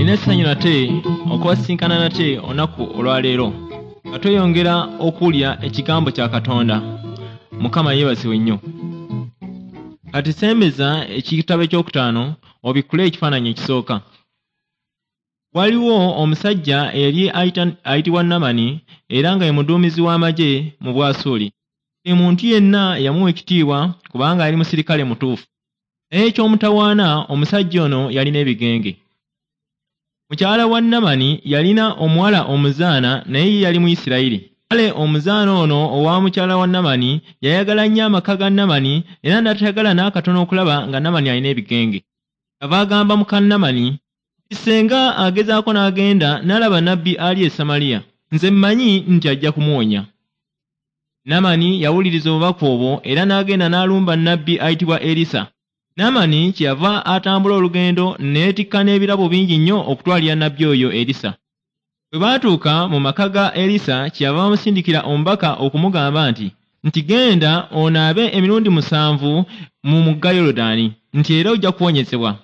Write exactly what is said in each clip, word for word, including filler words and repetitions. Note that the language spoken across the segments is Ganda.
Nina essanyu nate okubasisinkana nate olunaku olwaleero nga tweyongera okuwulira ekigambo kya Katonda. Mukama yeebazibwe nnyo. Kati sembeza ekitabo ekyokutaano obikkule ekifaananyi ekisooka. Waliwo omusajja eyali ayitibwa Namani era nga ye muduumizi w'amagye mu Bwasuuli. Buli muntu yenna yamuwa ekitiibwa kubanga yali musirikale mutuufu. Naye eky'omutawaana omusajja ono yalina ebigenge. Mukyala wa Namani yalina omuwala omuzaana naye ye yali Muyisirayiri. Kale omuzaana ono owa mukyala wa Namani yayagala nnyo amaka ga Namani era n'atayagala n'akatono okulaba nga Namani alina ebigenge. Ava agamba muka Namani nti ssenga agezaako n'agenda n'alaba nnabbi ali e Samaliya. Nze mmanyi nti ajja kumuwonya. Namani yawuliriza obubaka obwo era n'agenda n'alumba nnabbi ayitibwa Erisa. Namani kyeyava atambula olugendo neetikka n'ebirabo bingi nnyo okutwalira nnabbi oyo Erisa. Bwe baatuuka mu maka ga Erisa kyeyava bamusindikira omubaka okumugamba nti nti genda onaabe emirundi musanvu mu mugga Yoludaani nti era ojja kuwonyezebwa.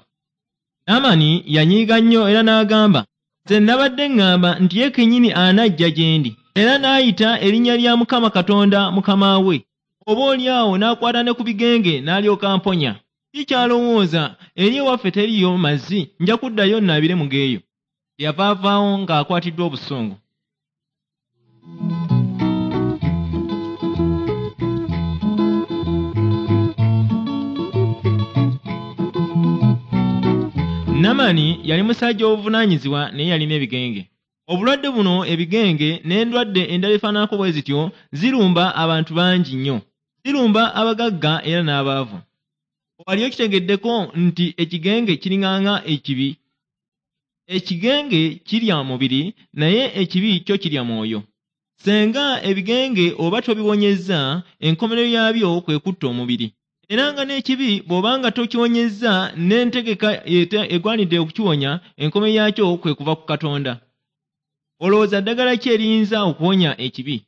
Namani yanyiiga nnyo era n'agamba nze nabadde ŋŋamba nti ye kennyini anajja gye ndi era n'ayita erinnya lya Mukama Katonda Mukama we oboolyawo n'akwata ne ku bigenge n'alyoka amponya. Kikyalowooza eri ewaffe teriyo mazzi nja kuddayo nnaabire mugeeyo. Yava avaawo ng'akwatiddwa obusungu. Namani yali musajja obuvunaanyizibwa naye yalina ebigenge. Obulwadde buno ebigenge n'endwadde endala efaananako bwe zityo zirumba abantu bangi nnyo. Zirumba abagagga era n'abaavu. Wali okitegeddeko nti ekigenge kiringanga ekibi. Ekigenge kirya mubiri naye ekibi kyo kirya mwoyo. Ssenga ebigenge oba tobiwonyezza enkomerero yaabyo kwe kutta omubiri. Era nga n'ekibi bw'obanga tokiwonyezza n'entegeka egwanidde okukiwonya enkomerero yaakyo kwe kuva ku Katonda. Olowooza ddagala ki eriyinza okuwonya ekibi?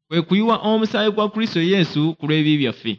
Kwe kuyiwa omusaayi gwa Kristo Yesu ku lw'ebibi byaffe.